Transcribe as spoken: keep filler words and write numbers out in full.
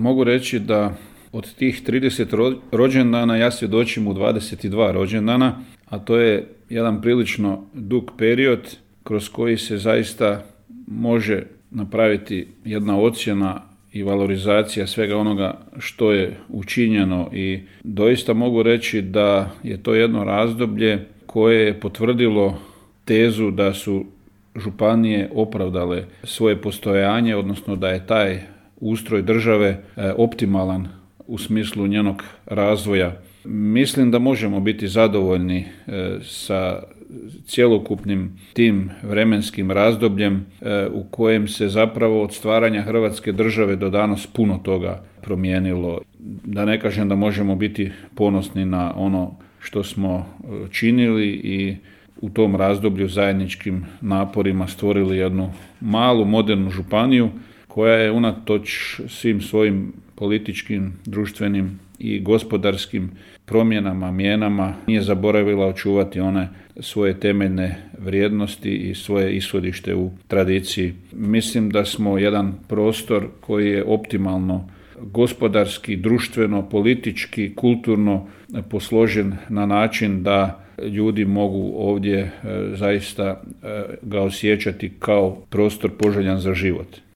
mogu reći da od tih trideset rođendana ja svjedočim u dvadeset dva rođendana, a to je jedan prilično dug period kroz koji se zaista može napraviti jedna ocjena i valorizacija svega onoga što je učinjeno i doista mogu reći da je to jedno razdoblje koje je potvrdilo tezu da su županije opravdale svoje postojanje, odnosno da je taj ustroj države optimalan u smislu njenog razvoja. Mislim da možemo biti zadovoljni sa cjelokupnim tim vremenskim razdobljem u kojem se zapravo od stvaranja Hrvatske države do danas puno toga promijenilo. Da ne kažem da možemo biti ponosni na ono što smo činili i u tom razdoblju zajedničkim naporima stvorili jednu malu modernu županiju koja je unatoč svim svojim političkim, društvenim i gospodarskim promjenama, mijenama nije zaboravila očuvati one svoje temeljne vrijednosti i svoje ishodište u tradiciji. Mislim da smo jedan prostor koji je optimalno gospodarski, društveno, politički, kulturno posložen na način da ljudi mogu ovdje zaista ga osjećati kao prostor poželjan za život.